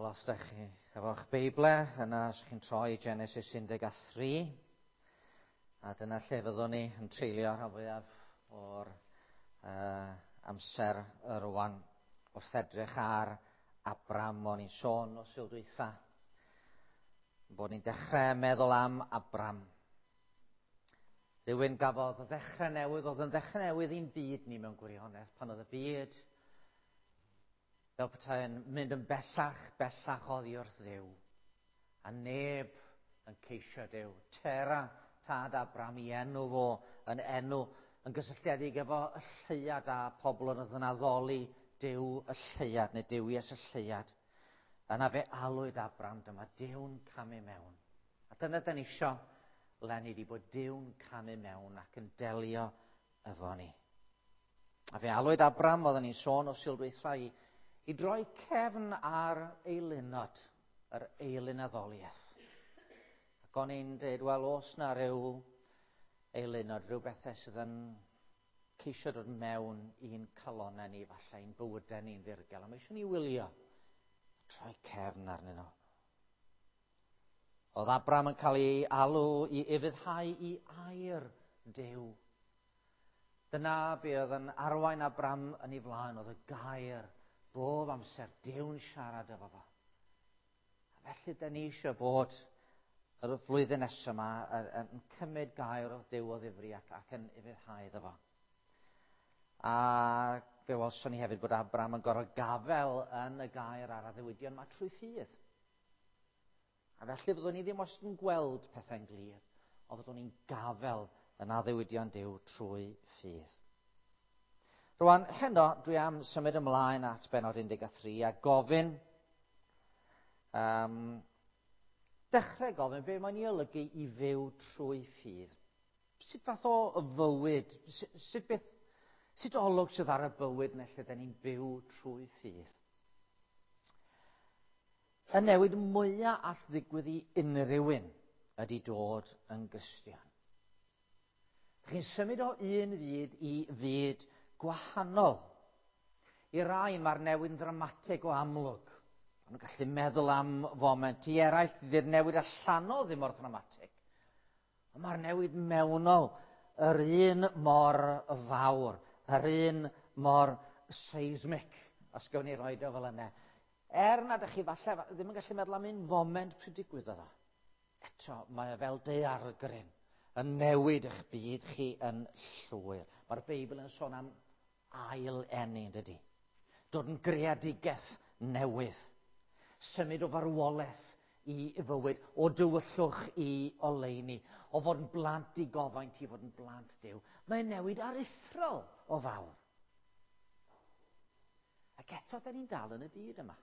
Wel, os ydych chi efo'ch Beiblau, yna os chi'n troi Genesis 13, a dyna lle fyddwn ni yn treulio rhan fwyaf o'r amser rwan wrth edrych ar Abram. O'n i'n sôn o Sul dwytha bod ni'n dechrau meddwl am Abram. Rhywun gafodd ddechrau newydd, oedd yn ddechrau newydd i'n byd ni mewn gwirionedd, pan oedd y byd fel petai'n mynd yn bellach, bellach oddi wrth Dduw. A neb yn ceisio Duw. Tera, tad Abram, i enw fo yn enw yn gysylltiedig efo y lleuad a pobl oedd yn addoli Duw y lleuad, neu Duwies y lleuad. Yna fe alwyd Abram, dyma Duw'n camu mewn. A dyna dyn ni isio leni, di bod Duw'n camu mewn ac yn delio efo ni. A fe alwyd Abram, oedden ni'n sôn o Sul dwytha, i droi cefn ar eilunod, yr eilunaddoliaeth. Ac o'n i'n dweud, wel, oes na ryw eilunod, rhyw bethau sydd yn ceisio dod mewn i'n calonau ni, falle i'n bywydau ni'n ddirgel, a mae eisiau ni wylio, troi cefn arnyn nhw. Oedd Abram yn cael ei alw i ufuddhau i air Duw. Dyna be oedd yn arwain Abram yn ei flaen, oedd y gair bob amser, Duw'n siarad efo fo. A felly, da ni eisiau bod yr flwyddyn nesaf yma yn cymryd gair o Duw o ddifri ac yn ufuddhau iddo fo. A fe welson ni hefyd bod Abram yn gorfod gafel yn y gair a'r addewidion yma trwy ffydd. A felly fyddwn ni ddim wastad yn gweld pethau'n glir, ond fyddwn ni'n gafel yn addewidion Duw trwy ffydd. Rwan, heno, dwi am symud ymlaen at bennod 13 a gofyn, dechrau gofyn be mae'n ei olygu i fyw trwy ffydd. Sut fath o fywyd, sut beth, sut olwg sydd ar y bywyd neu lle da ni'n byw trwy ffydd? Y newid mwyaf all ddigwydd i unrhyw un ydy dod yn Gristion. Chi'n symud o un fyd i fyd gwahanol. I rai mae'r newid yn ddramatig o amlwg. Maen nhw'n gallu meddwl am foment. I eraill, dydy'r newid allanol ddim mor ddramatig. Ond mae'r newid mewnol yr un mor fawr, yr un mor seismic, os gawn ni roed o fel yna. Er nad ydych chi falle ddim yn gallu meddwl am un foment pryd digwyddodd o, eto mae o fel daeargryn yn newid eich byd chi yn llwyr. Mae'r Beibl yn sôn am ail eni, yn dydy? Dod yn greadigaeth newydd. Symud o farwolaeth i fywyd, o dywyllwch i oleuni, o fod yn blant digofaint i fod yn blant Duw. Mae'n newid aruthrol o fawr. Ac eto, da ni'n dal yn y byd yma.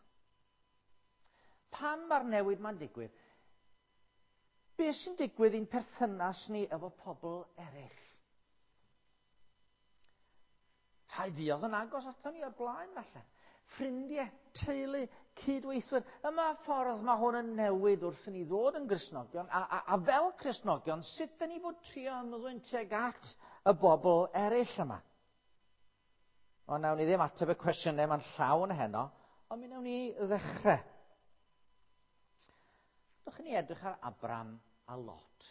Pan mae'r newid ma'n digwydd, beth sy'n digwydd i'n perthynas ni efo pobl eraill? Rhai fuodd yn agos ato ni o'r blaen, falle. Ffrindiau, teulu, cydweithwyr. Yma ffordd mae hwn yn newid wrth i ni ddod yn Gristnogion, a fel Cristnogion, sut da ni fod trio ymddwyn tuag at y bobl eraill yma? Ond nawn ni ddim ateb y cwestiynau yma'n llawn heno, ond mi nawn ni ddechrau. Dwch i ni edrych ar Abram a Lot.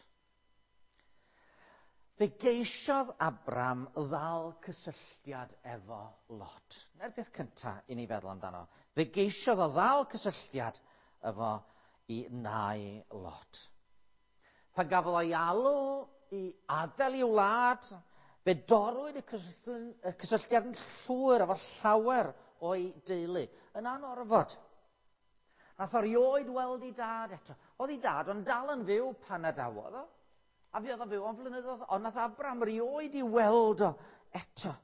Fe geisiodd Abram ddal cysylltiad efo Lot. Na'r peth cyntaf i ni feddwl amdano. Fe geisiodd o ddal cysylltiad efo i nai Lot. Pan gafodd o'i alw i adael i'w wlad, fe dorrwyd y cysylltiad yn llwyr efo llawer o'i deulu, yn anorfod. Nath o rioed weld ei dad eto. Oedd ei dad ond dal yn fyw pan adawodd o. A fuodd o'n fyw am flynyddoedd, ond nath Abram rioed i weld o eto.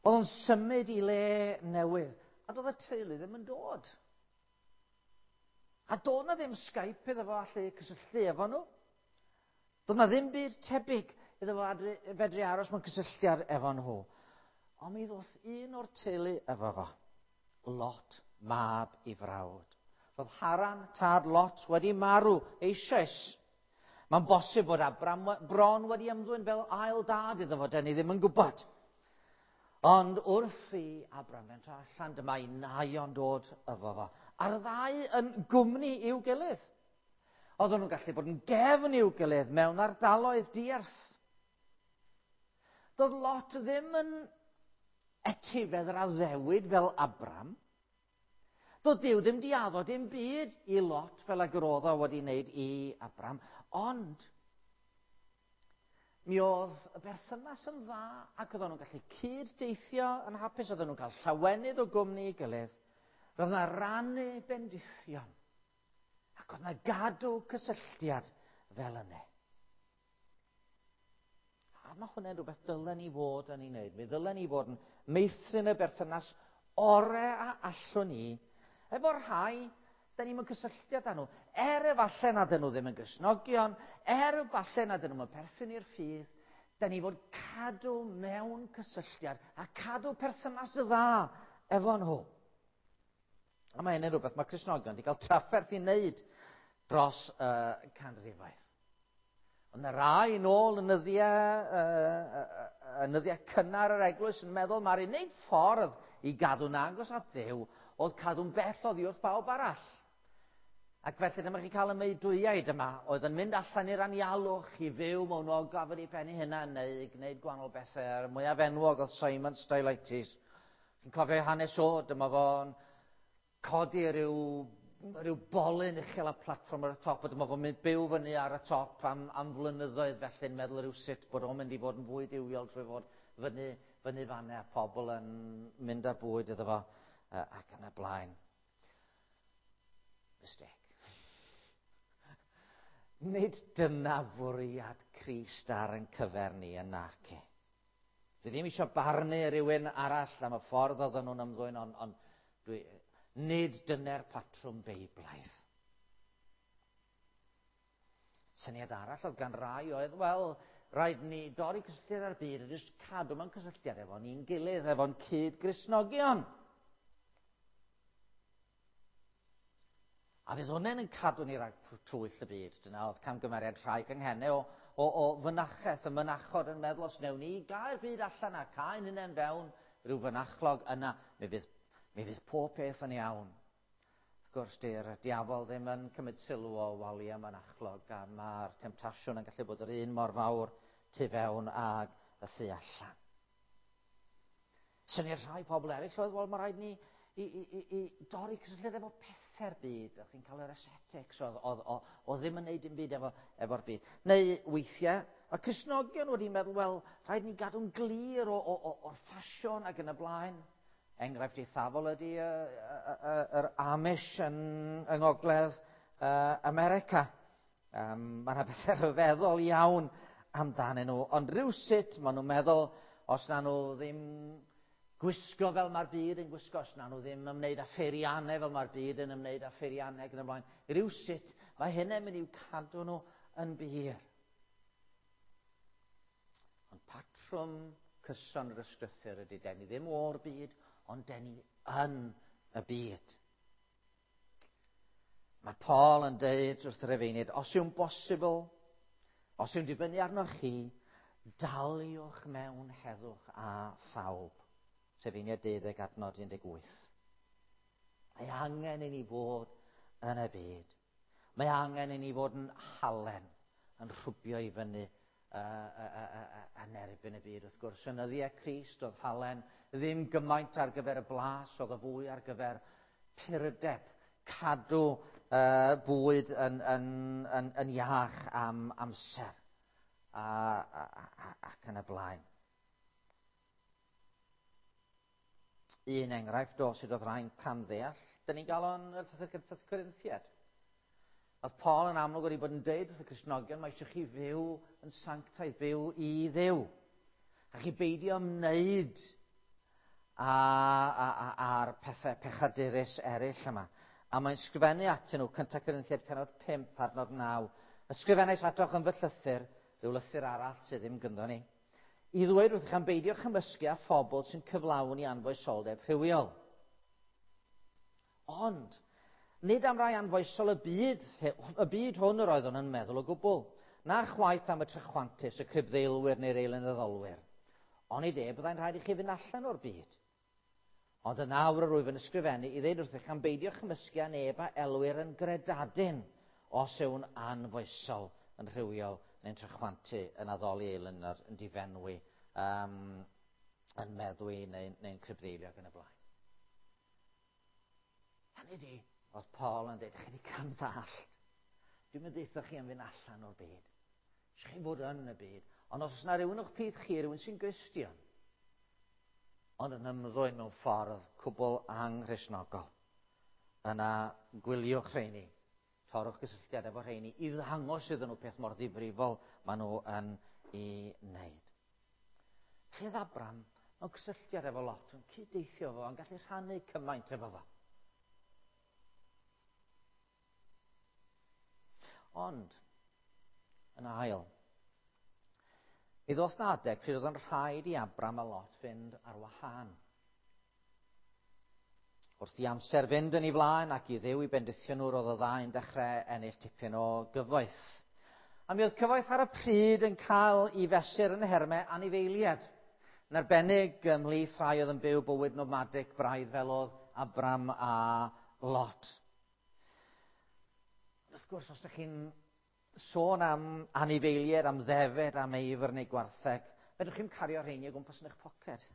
Oedd o'n symud i le newydd, a doedd y teulu ddim yn dod. A doedd na ddim Skype iddo fo allu cysylltu efo nhw. Doedd na ddim byd tebyg iddo fo fedru aros mewn cysylltiad efo nhw. Ond mi ddoth un o'r teulu efo fo, Lot, mab i frawd. Roedd Haran, tad Lot, wedi marw eisoes. Mae'n bosib bod Abram bron wedi ymddwyn fel ail dad iddo fo, da ni ddim yn gwybod. Ond wrth i Abram fentro allan, dyma ei naio'n dod efo fo. A'r ddau yn gwmni i'w gilydd. Oedden nhw'n gallu bod yn gefn i'w gilydd mewn ardaloedd diarth. Doedd Lot ddim yn etifedd yr addewid fel Abram. Doedd Duw ddim di addo dim byd i Lot fel ag yr oedd o wedi wneud i Abram, ond mi oedd y berthynas yn dda ac oedden nhw'n gallu cyd-deithio yn hapus, oedden nhw'n cael llawenydd o gwmni i gilydd. Roedd yna rannu bendithion ac oedd yna gadw cysylltiad fel yna. A mae hwnna'n rhywbeth dylen ni fod yn ei wneud. Mi ddylen ni fod yn meithrin y berthynas ore a allwn ni efo'r rhai da ni'n mewn cysylltiad â nhw. Er efallai nad ydyn nhw ddim yn Gristnogion, er efallai nad ydyn nhw'n perthyn i'r ffydd, da ni fod cadw mewn cysylltiad a cadw perthynas dda efo nhw. A mae hynny'n rhywbeth mae Cristnogion wedi cael trafferth i wneud dros y canrifoedd. Ond y rai nôl yn nyddiau, yn nyddiau cynnar yr eglwys yn meddwl mae'r unig ffordd i gadw'n agos at Dduw oedd cadw'n bell oddi wrth bawb arall. Ac felly dyma chi cael y meudwyaid yma oedd yn mynd allan i'r anialwch i fyw mewn ogof yn ei pen ei hunan neu gwneud gwahanol bethau. A'r mwyaf enwog oedd Simon Stylites. Chi'n cofio hanes o, dyma fo'n codi rhyw, rhyw bolyn uchel a platfform ar y top, a dyma fo'n mynd byw fyny ar y top am, am flynyddoedd felly'n meddwl rhyw sut bod o'n mynd i fod yn fwy duwiol trwy fod fyny, fyny fanne a pobl yn mynd â bwyd iddo fo ac yn y blaen. Mistake. Nid dyna fwriad Crist ar yn cyfer ni yn naci. Dwi ddim eisiau barnu rhywun arall am y ffordd oedden nhw'n ymddwyn, ond on, dwi, nid dyna'r patrwm beiblaidd. Syniad arall oedd gan rai oedd, wel, rhaid ni dorri cysylltiad â'r byd a jyst cadw mewn cysylltiad efo ni'n gilydd, efo'n cyd-Gristnogion. A fydd hwnna'n yn cadw ni rhag twyll y byd. Dyna oedd camgymeriad rhai canghennau o, o, o fynachaeth, y mynachod yn meddwl os wnewn ni gael byd allan a cael hunain fewn rhyw fynachlog yna, mi fydd, mi fydd pob peth yn iawn. Wrth gwrs, dy'r diafol ddim yn cymryd sylw o waliau mynachlog a mae'r temtasiwn yn gallu bod yr un mor fawr tu fewn ag y thu allan. Syniad rhai pobl eraill oedd, wel, mae rhaid ni i, i, i, i dorri cysylltiad efo pethau'r byd. O'ch chi'n cael yr ascetics, oedd, oedd, oedd, oedd ddim yn neud dim byd efo, efo'r byd. Neu weithiau, mae Cristnogion wedi meddwl, wel, rhaid ni gadw'n glir o, o, o, o'r ffasiwn ac yn y blaen. Enghraifft eithafol ydy yr Amish yn, yng Ngogledd America. Um, mae yna bethau rhyfeddol iawn amdanyn nhw, ond rhywsut maen nhw'n meddwl, os na nhw ddim gwisgo fel mae'r byd yn gwisgo, os na nhw ddim ymwneud â pheiriannau fel mae'r byd yn ymwneud â pheiriannau ac yn y blaen, rhywsut mae hynny'n mynd i'w cadw nhw yn bur. Ond patrwm cyson yr ysgrythur ydy, den ni ddim o'r byd, ond den ni yn y byd. Mae Paul yn deud wrth yr efeiniad, os yw'n bosibl, os yw'n dibynnu arnoch chi, daliwch mewn heddwch a phawb. Rhufeiniaid 12 adnod 18. Mae angen i ni fod yn y byd. Mae angen i ni fod yn halen, yn rhwbio i fyny yn erbyn y byd. Wrth gwrs, yn nyddiau Crist oedd halen ddim gymaint ar gyfer y blas, oedd y fwy ar gyfer purdeb, cadw uh, bwyd yn, yn, yn, yn iach am amser a, a, a, ac yn y blaen. Un enghraifft o sut oedd rhai'n camddeall, dyn ni'n gael o'n llythyr gyntaf Corinthiad. Oedd Paul yn amlwg wedi bod yn deud wrth y Cristnogion, mae eisiau chi fyw yn sanctaidd, byw i Dduw. A chi beidio ymwneud a'r pethau pechadurus eraill yma. A mae'n sgrifennu atyn nhw, 1 Corinthiad penod 5, adnod 9. Ysgrifennais atoch yn fy llythyr, rhyw lythyr arall sydd ddim gynddo ni, i ddweud wrthych am beidio chymysgu â phobl sy'n cyflawni anfoesoldeb rhywiol. Ond, nid am rai anfoesol y byd, y byd hwn yr oeddwn yn meddwl o gwbl, na chwaith am y trychwantus, y cribddeilwyr neu'r eilynyddolwyr. Onid e, byddai'n rhaid i chi fynd allan o'r byd. Ond yn awr yr wyf yn ysgrifennu i ddeud wrthych am beidio chymysgu â neb a elwir yn gredadun os yw'n anfoesol, yn rhywiol, neu'n trachwantu, yn addoli eilunod, yn difenwi, yn meddwi neu'n crybddeilio ac yn y blaen. Hynny di, oedd Paul yn dweud, chi wedi camddallt. Dwi'n mynd deutha chi am fynd allan o'r byd. Eisiau chi fod yn y byd. Ond os oes yna rhywun o'ch plith chi, rhywun sy'n Gristion, ond yn ymddwyn mewn ffordd cwbl anghristnogol, yna gwyliwch rheini, torrwch gysylltiad efo rheini i ddangos iddyn nhw peth mor ddifrifol maen nhw yn ei wneud. Felly oedd Abram mewn cysylltiad efo Lot, yn cyd-deithio fo, yn gallu rhannu cymaint efo fo. Ond, yn ail, mi ddoth na adeg pryd oedd yn rhaid i Abram a Lot fynd ar wahân. Wrth i amser fynd yn ei flaen ac i Dduw i bendithio nhw, roedd y ddau'n dechrau ennill tipyn o gyfoeth. A mi oedd cyfoeth ar y pryd yn cael ei fesur yn nhermau anifeiliaid. Yn arbennig ymhlith rhai oedd yn byw bywyd nomadic braidd fel oedd Abram a Lot. Wrth gwrs, os ydych chi'n sôn am anifeiliaid, am ddefed, am eifr neu gwartheg, fedrwch chi'm cario rheini o gwmpas yn eich poced.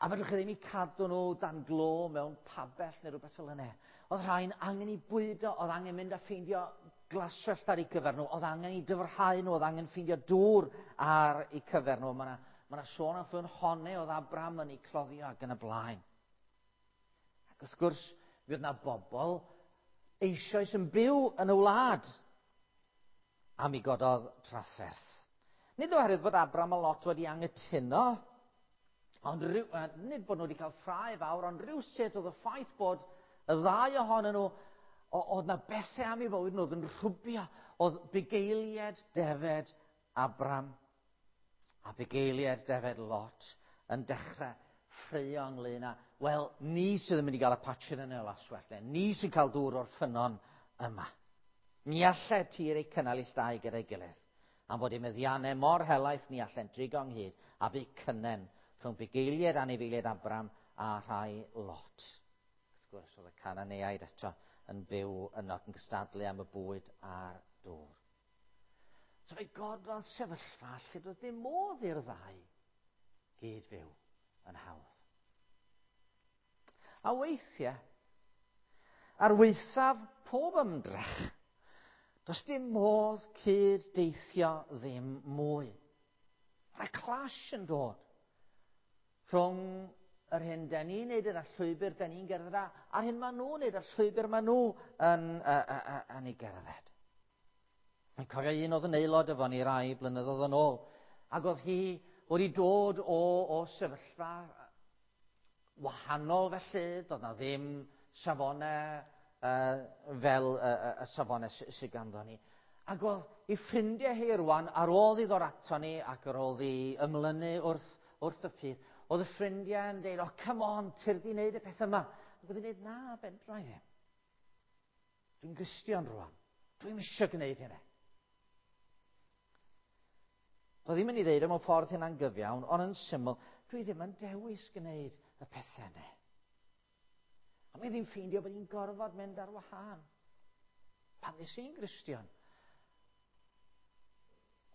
A fedrwch chi ddim i cadw nhw dan glo mewn pabell neu rhywbeth fel yna. Oedd rhain angen i bwydo, oedd angen mynd a ffeindio glaswellt ar eu cyfer nhw, oedd angen i dyfrhau nhw, oedd angen ffeindio dŵr ar eu cyfer nhw. Mae yna sôn am ffynhonnau oedd Abram yn eu cloddio ac yn y blaen. Ac wrth gwrs, mi oedd yna bobl eisoes yn byw yn y wlad, a mi gododd trafferth. Nid oherwydd bod Abram a Lot wedi anghytuno, ond nid bod nhw wedi cael ffrae fawr, ond rhywsut oedd y ffaith bod y ddau ohonyn nhw, oedd na bethau am ei fywyd nhw oedd yn rhwbio, oedd bugeiliaid defed Abram a bugeiliaid defed Lot yn dechrau ffraeo ynglyn â, wel, ni sydd yn mynd i gael y patchen yn y laswellt, ni sy'n cael dŵr o'r ffynnon yma. Ni allai tir eu cynnal ill dau gyda'i gilydd, am fod eu meddiannau mor helaeth ni allen drigo ynghyd, a bu cynnen rhwng bugeiliaid anifeiliaid Abram a rhai Lot. Wrth gwrs, oedd y Cananeaid eto yn byw yno ac yn cystadlu am y bwyd a'r dŵr. So fe gododd sefyllfa lle doedd dim modd i'r ddau gyd fyw yn hawdd. A weithiau, ar waethaf pob ymdrech, does dim modd cyd-deithio ddim mwy. Mae clash yn dod rhwng yr hyn da ni'n neud yn y llwybr da ni'n gerdded a'r hyn maen nhw'n neud a'r llwybr maen nhw yn ei gerdded. Mae'n cofio un oedd yn aelod efo ni rai blynyddoedd yn ôl, ac oedd hi wedi dod o sefyllfa wahanol felly, doedd na ddim safonau fel y safonau sydd ganddo ni. Ac oedd ei ffrindiau hi rwan, ar ôl i ddod ato ni ac ar ôl i ymlynu wrth y ffydd, oedd y ffrindiau yn dweud, oh, come on, tyrd i wneud y peth yma. Ac oedd hi'n dweud, na, fedra i ddim. Dwi'n Gristion rwan. Dwi'm eisiau gwneud hynny. Doedd ddim yn ei ddeud o mewn ffordd hynna'n gyfiawn, ond yn syml, dwi ddim yn dewis gwneud y pethau yna. A mi ddim ffeindio bod hi'n gorfod mynd ar wahân. Pan nes i'n Gristion,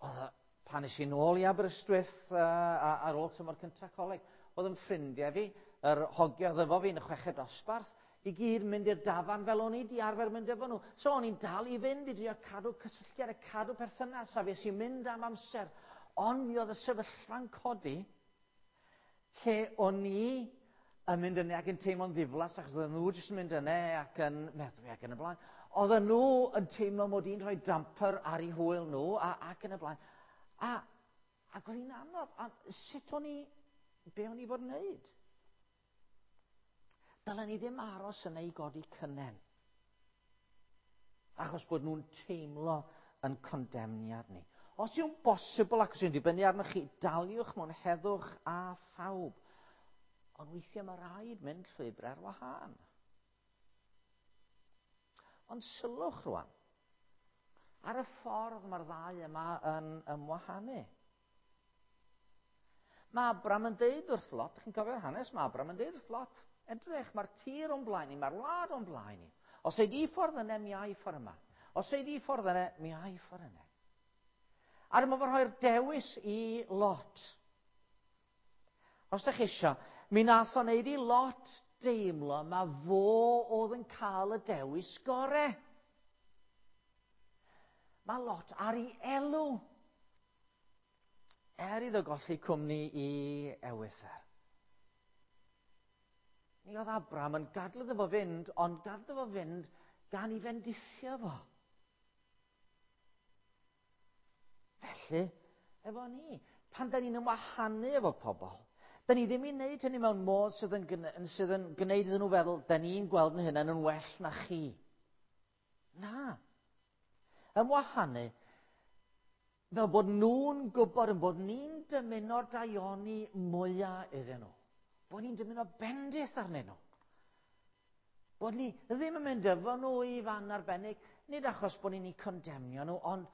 oedd pan nes i nôl i Aberystwyth ar ôl tymor cyntaf coleg, oedd yn ffrindiau fi, yr hogia oedd efo fi yn y chweched dosbarth, i gyd mynd i'r dafarn fel o'n i di arfer mynd efo nhw. So o'n i'n dal i fynd i drio cadw cysylltiad a cadw perthynas, a fues i'n mynd am amser. Ond mi oedd y sefyllfa'n codi lle o'n i yn mynd yna ac yn teimlo'n ddiflas, achos oedden nhw jyst yn mynd yna ac yn meddwi ac yn y blaen. Oedden nhw yn teimlo mod i'n rhoi damper ar eu hwyl nhw ac yn y blaen. Ac oedd hi'n anodd. A sut o'n i, be o'n i fod yn wneud? Dylen ni ddim aros yna i godi cynnen. Achos bod nhw'n teimlo yn condemniad ni. Os yw'n bosibl ac os yw'n dibynnu arnoch chi, daliwch mewn heddwch a phawb. Ond weithiau mae rhaid mynd llwybr ar wahân. Ond sylwch rwan. Ar y ffordd mae'r ddau yma yn ymwahanu. Mae Abram yn deud wrth Lot, chi'n cofio'r hanes, mae Abram yn deud wrth Lot, edrych, mae'r tir o'n blaen ni, mae'r wlad o'n blaen ni. Os ei di ffordd yna, mi ai ffordd yma. Os ei di ffordd yna, mi ai ffordd yna. A dyma fo'n rhoi'r dewis i Lot. Os ydych chi eisiau, mi nath o wneud i Lot deimlo ma fo oedd yn cael y dewis gore. Mae Lot ar ei elw. Er iddo golli cwmni i ewythr. Mi oedd Abraham yn gadw iddo fo fynd, ond gadw iddo fo fynd gan i fendithio fo. Felly, efo ni, pan da ni'n ymwahanu efo pobl, da ni ddim i wneud hynny mewn modd sydd yn, sydd yn gwneud iddyn nhw feddwl, da ni'n gweld yn hynna'n yn well na chi. Na. Ymwahanu, fel bod nhw'n gwybod yn bod ni'n dymuno'r daioni mwyaf iddyn nhw. Bod ni'n dymuno bendith arnyn nhw. Bod ni ddim yn mynd efo nhw i fan arbennig, nid achos bod ni'n eu condemnio nhw, ond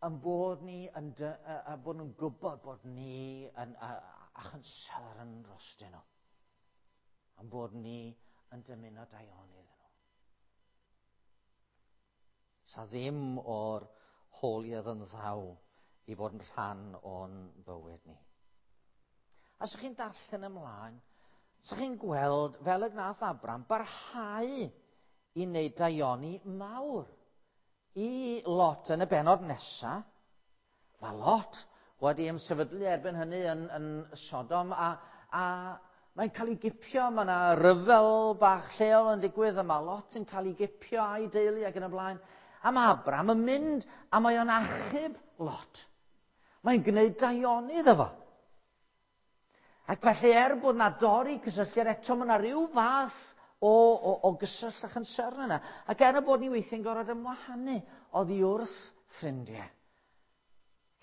yn bod ni yn dy, a, a bod nhw'n gwybod bod ni yn a, a concern drostyn nhw. Yn bod ni yn dymuno daioni iddyn nhw. Sa ddim o'r holier yn ddaw i fod yn rhan o'n bywyd ni. A sa chi'n darllen ymlaen, sa chi'n gweld fel y gnath Abram barhau i wneud daioni mawr i Lot yn y benod nesa. Mae Lot wedi ymsefydlu erbyn hynny yn, yn Sodom a, a mae'n cael ei gipio, mae yna ryfel bach lleol yn digwydd a mae Lot yn cael ei gipio a'i deulu ac yn y blaen. A mae Abram yn mynd a mae o'n achub Lot. Mae'n gwneud daioni iddo fo. Ac felly er bod na dorri cysylltiad eto, mae yna rhyw fath o, o, o gyswllt a chynsyrn yna. Ac er y bod ni weithiau'n gorfod ymwahanu oddi wrth ffrindiau,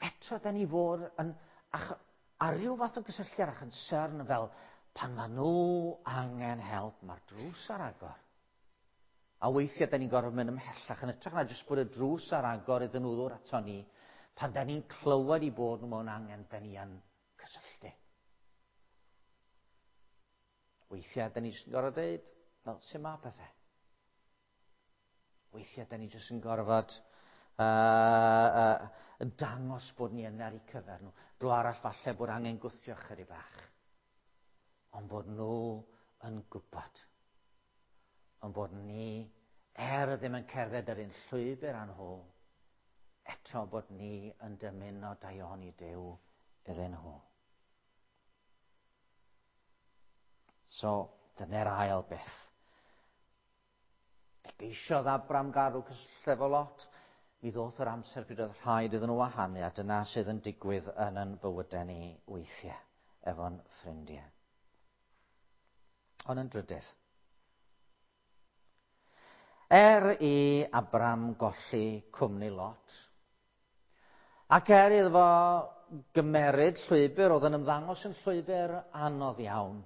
eto da ni fod yn, ach, a rhyw fath o gysylltiad a chynsyrn fel pan maen nhw angen help, mae'r drws ar agor. A weithiau da ni'n gorfod mynd ymhellach yn ytrach na jyst bod y drws ar agor iddyn nhw ddod ato ni. Pan da ni'n clywed i bod nhw mewn angen, da ni yn cysylltu. Weithiau da ni jyst yn gorfod dweud, fel, sy'n ma pethau? Weithiau da ni jyst yn gorfod uh, uh, dangos bod ni yna ar eu cyfer nhw. Dro arall falle bod angen gwthio chydig bach. Ond bod nhw yn gwybod ond bod ni, er ddim yn cerdded yr un llwybr â nhw, eto bod ni yn dymuno daioni Duw iddyn nhw. So, dyna'r ail beth. Fe geisiodd Abram gadw cysylltiad efo Lot. Mi ddoth yr amser pryd oedd rhaid iddyn nhw wahanu, a dyna sydd yn digwydd yn yn bywydau ni weithiau efo'n ffrindiau. Ond yn drydydd, er i Abram golli cwmni Lot, ac er iddo fo gymeryd llwybr oedd yn ymddangos yn llwybr anodd iawn,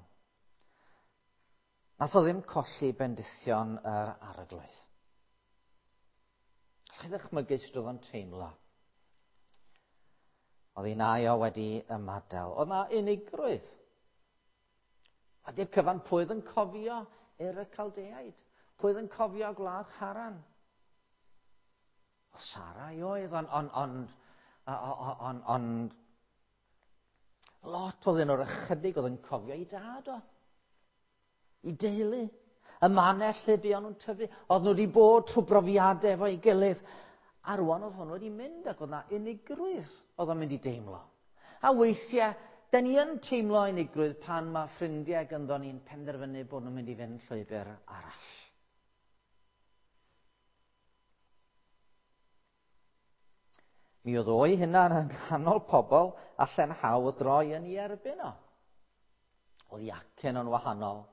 nath o ddim colli bendithion yr arglwydd. Allai ddychmygu sut oedd o'n teimlo. Oedd ei nai o wedi ymadael. Oedd na unigrwydd. A di'r cyfan, pwy oedd yn cofio Ur y Caldeaid? Pwy oedd yn cofio gwlad Haran? O Sarai oedd, ond, ond, ond, ond, ond, lot oedd un o'r ychydig oedd yn cofio ei dad o. I deulu. Y mannell lle buon nhw'n tyfu. Oedd nhw wedi bod trwy brofiadau efo'i gilydd. A rwan oedd hwn wedi mynd ac oedd na unigrwydd oedd o'n mynd i deimlo. A weithiau, da ni yn teimlo unigrwydd pan mae ffrindiau gynddo ni'n penderfynu bod nhw'n mynd i fynd llwybr arall. Mi oedd o'i hunan yn nghanol pobl allan hawdd droi yn ei erbyn o. Oedd i acen o'n wahanol.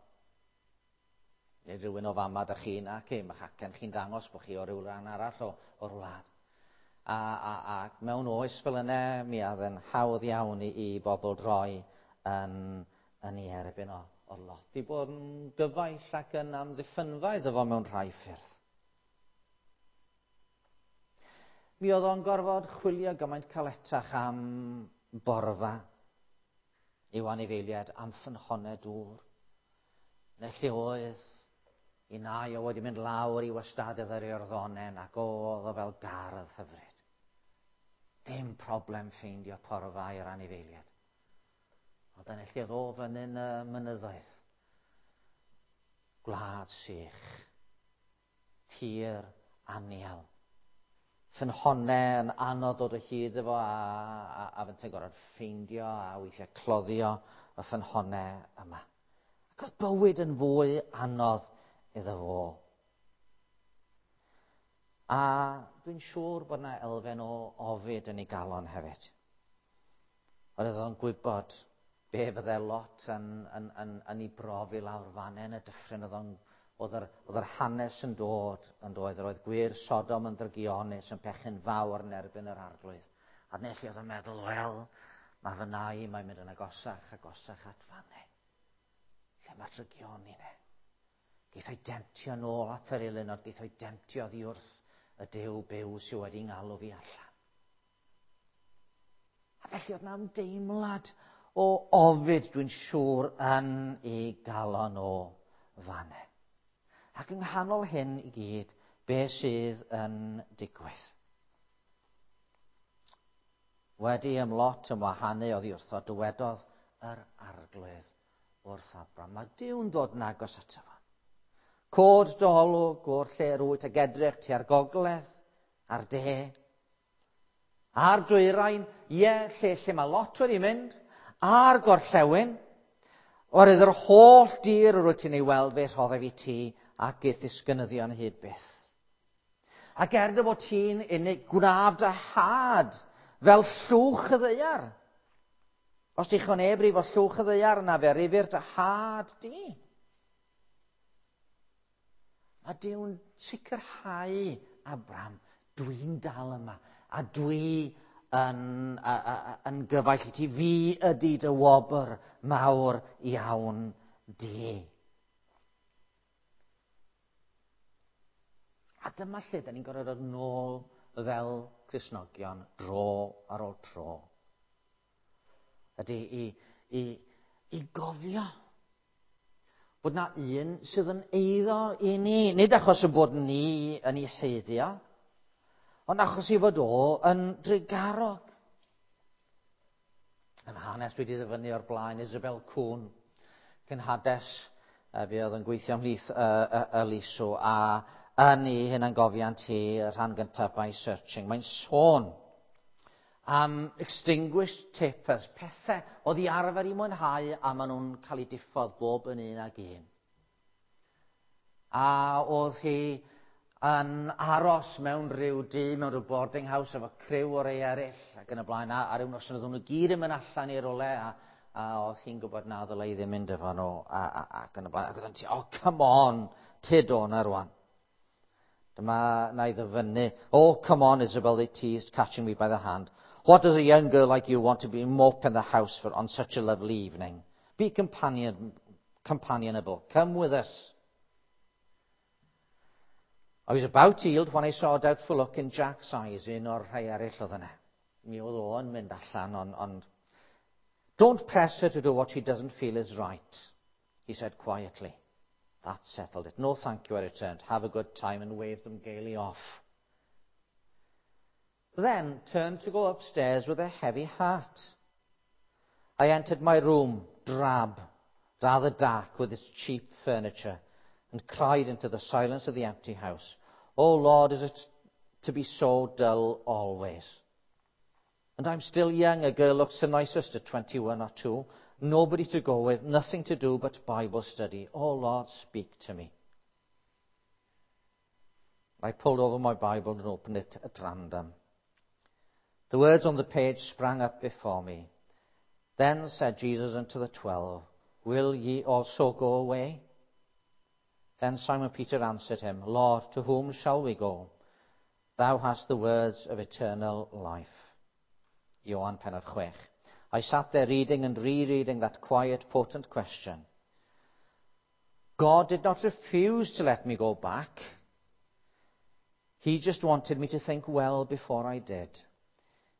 Neu rhywun o fama da chi, na, ce, mae'ch acen chi'n dangos bod chi o ryw ran arall o, o'r wlad. A, a, a mewn oes fel yna, mi oedd yn hawdd iawn i, i bobl droi yn, yn ei erbyn o. Oedd lot i bod yn gyfaill ac yn amddiffynfa iddo fo mewn rhai ffyrdd. Mi oedd o'n gorfod chwilio gymaint caletach am borfa i'w anifeiliaid, am ffynhonnau dŵr. Neu lle oedd i nai o wedi mynd lawr i wastadedd yr Iorddonen ac oedd o fel gardd hyfryd. Dim problem ffeindio porfa i'r anifeiliaid. Ond dyna lle oedd o fyny'n y mynyddoedd. Gwlad sych. Tir anial. Ffynhonnau yn anodd dod o hyd efo a fynte'n gorfod ffeindio a weithiau cloddio y ffynhonnau yma. Ac oedd bywyd yn fwy anodd iddo fo. A dwi'n siŵr bod yna elfen o ofid yn ei galon hefyd. Oedd o'n gwybod be fydde Lot yn ei brofi lawr fan'na yn y dyffryn. Oedd yr hanes yn dod yn doedd. Yr oedd gwŷr Sodom yn ddrygionus, yn pechu'n fawr yn erbyn yr Arglwydd. A dyna lle oedd o'n meddwl, wel, mae fy nai, mae'n mynd yn agosach, agosach at fan'na. Lle mae drygioni ne. Geith o'i demtio nôl at yr elyn, ond geith o'i demtio oddi wrth y Duw byw sydd wedi ngalw fi allan. A felly oedd 'na ymdeimlad o ofid, dwi'n siŵr, yn ei galon o fan'na. Ac yng nghanol hyn i gyd, be sydd yn digwydd? Wedi ym Lot ymwahanu oddi wrtho, dywedodd yr Arglwydd wrth Abram. Mae Duw'n dod yn agos ato fo. Cod dy olwg o'r lle yr wyt ag edrych tua'r gogledd, a'r de, a'r dwyrain, ie, lle mae Lot wedi mynd, a'r gorllewin, oherwydd yr holl dir yr wyt ti'n ei weld fe rhoddaf i ti ac i'th ddisgynyddion hyd byth. Ac er dy fod ti'n unig, gwnaf dy had fel llwch y ddaear. Os dichon neb rifo llwch y ddaear, yna fe rifir dy had di. Mae Duw'n sicrhau Abram, dwi'n dal yma, a dwi yn gyfaill i ti. Fi ydy dy wobr mawr iawn di. A dyma lle da ni'n gorfod dod nôl fel Cristnogion dro ar ôl tro. Ydy i gofio bod na un sydd yn eiddo i ni. Nid achos y bod ni yn ei haeddu, ond achos ei fod o yn drugarog. Yn hanes dwi wedi ddyfynnu o'r blaen, Isobel Kuhn, cenhades, fi oedd yn gweithio ymhlith y Liso, a yn ei hunangofiant hi, y rhan gyntaf by Searching, mae'n sôn am extinguished tapers, pethau oedd i arfer i mwynhau a maen nhw'n cael eu diffodd bob yn un ag un. A oedd hi yn aros mewn rhyw dŷ, mewn rhyw boarding house efo criw o rei eraill ac yn y blaen, a ryw noson oedden nhw gyd yn mynd allan i rywle, a oedd hi'n gwybod na ddylai ddim mynd efo nhw, ac yn y blaen. Ac oedd hi'n, oh, come on, tyd o na rwan. Dyma na i ddyfynnu. Oh, come on, Isobel, they teased, catching me by the hand. What does a young girl like you want to be mope in the house for on such a lovely evening? Be companionable. Come with us. I was about to yield when I saw a doubtful look in Jack's eyes, un o'r rhai eraill oedd yna. Mi oedd o'n mynd allan, ond Don't press her to do what she doesn't feel is right, he said quietly. That settled it. No, thank you, I returned. Have a good time, and waved them gaily off. Then turned to go upstairs with a heavy heart. I entered my room, drab, rather dark with its cheap furniture, and cried into the silence of the empty house, Oh Lord, is it to be so dull always? And I'm still young. A girl looks the nicest at 21 or 2. Nobody to go with, nothing to do but Bible study. Oh Lord, speak to me. I pulled over my Bible and opened it at random. The words on the page sprang up before me. Then said Jesus unto the 12, Will ye also go away? Then Simon Peter answered him, Lord, to whom shall we go? Thou hast the words of eternal life. Ioan pennod 6. I sat there reading and rereading that quiet, potent question. God did not refuse to let me go back. He just wanted me to think well before I did.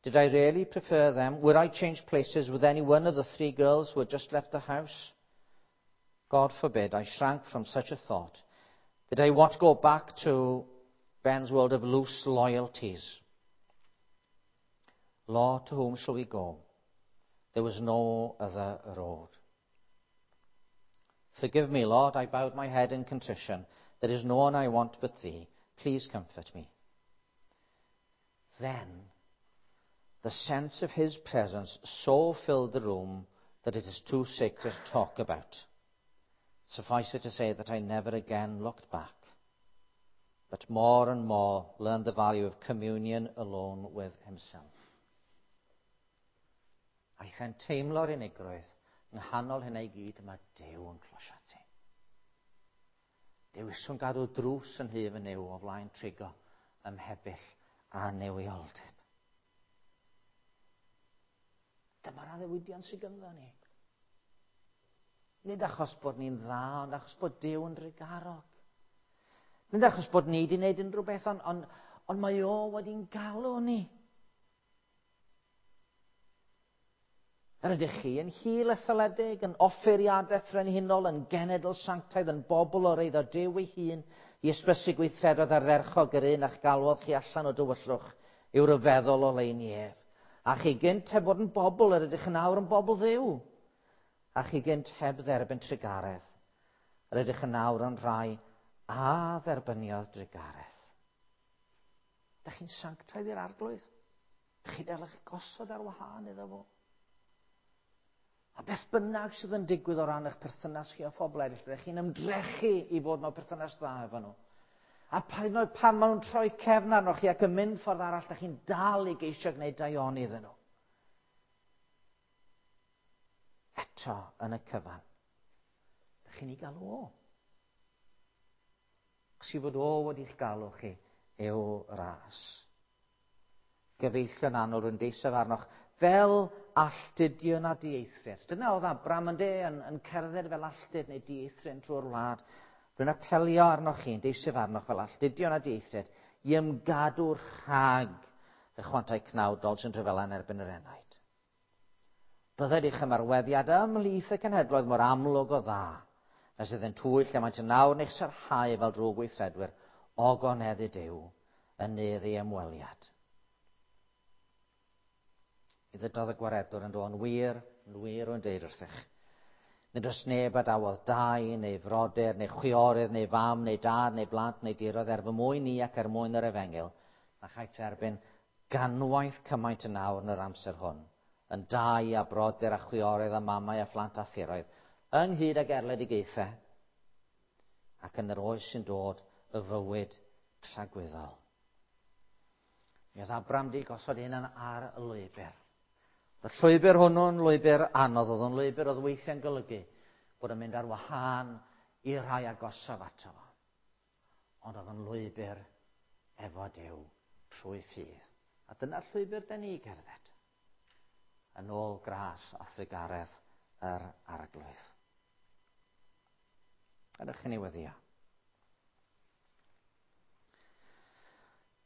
Did I really prefer them? Would I change places with any one of the three girls who had just left the house? God forbid, I shrank from such a thought. Did I want to go back to Ben's world of loose loyalties? Lord, to whom shall we go? There was no other road. Forgive me, Lord, I bowed my head in contrition. There is no one I want but thee. Please comfort me. Then the sense of his presence so filled the room that it is too sacred to talk about. Suffice it to say that I never again looked back, but more and more learned the value of communion alone with himself. Aeth e'n teimlo'r unigrwydd. Yng nghanol hynna i gyd, mae Duw yn closio ti. Dewiswn gadw drws yn nhŷ fy Nuw o flaen trigo ym mhebyll annuwioldeb. Dyma'r addewidion sydd ganddo ni. Nid achos bod ni'n dda, ond achos bod Duw yn drugarog. Nid achos bod ni wedi gwneud unrhyw beth, ond, ond, ond mae o wedi'n galw ni. Yr ydych chi yn hil etholedig, yn offeiriadaeth frenhinol, yn genedl sanctaidd, yn bobl o'r eiddo Duw ei hun, i ysbysu gweithredoedd ardderchog yr un a'ch galwodd chi allan o dywyllwch i'w ryfeddol oleuni ef. A chi gynt heb fod yn bobl, yr ydych yn awr yn bobl Dduw. A chi gynt heb dderbyn trugaredd, yr ydych yn awr yn rhai a dderbyniodd drugaredd. Dych chi'n sanctaidd i'r Arglwydd? Dych chi dal eich gosod ar wahân iddo fo? A beth bynnag sydd yn digwydd o ran eich perthynas chi â phobl eraill, ydych chi'n ymdrechu i fod mewn perthynas dda efo nhw. A pa hyd yn oed pan maen nhw'n troi cefn arnoch chi ac yn mynd ffordd arall, ydych chi'n dal i geisio gwneud daioni iddyn nhw. Eto, yn y cyfan, ydych chi'n ei galw o. Chos i fod o wedi'ch galw chi i'w ras. Gyfeillion annwyl, rwy'n deiseb arnoch, fel alltudion a dieithriad. Dyna oedd Abram yn de, yn, yn cerdded fel alltud neu dieithryn trwy'r wlad. Rwy'n apelio arnoch chi, yn deiseb arnoch fel alltudion a dieithriad, i ymgadw rhag y chwantau cnawdol sy'n rhyfela yn erbyn yr enaid. Bydded eich ymarweddiad ymhlith y cenhedloedd mor amlwg o dda, nes iddynt twyll lle maent yn awr yn eich sarhau fel drwg weithredwyr ogoneddu Duw yn nydd ei ymweliad. I ddydodd y gwaredwr yn dod yn wir, yn wir rwy'n deud wrthych. Nid oes neb a dawodd dai, neu frodyr, neu chwiorydd, neu fam, neu dad, neu blant, neu diroedd er fy mwyn i ac er mwyn yr efengyl, na chaiff dderbyn ganwaith cymaint yn awr yn yr amser hwn, yn dai a brodyr a chwiorydd a mamau a phlant a thiroedd, ynghyd ag erledigaethau, ac yn yr oes sy'n dod y fywyd tragwyddol. Mi oedd Abram di gosod ei hunan ar y lwybr. Y llwybr hwnnw'n lwybr anodd, oedd o'n lwybr oedd weithiau'n golygu bod yn mynd ar wahân i'r rhai agosaf ato fo. Ond oedd o'n lwybr efo Duw trwy ffydd. A dyna'r llwybr da ni gerdded. Yn ôl gras a thrugaredd yr Arglwydd. Ydych chi'n ei weddio?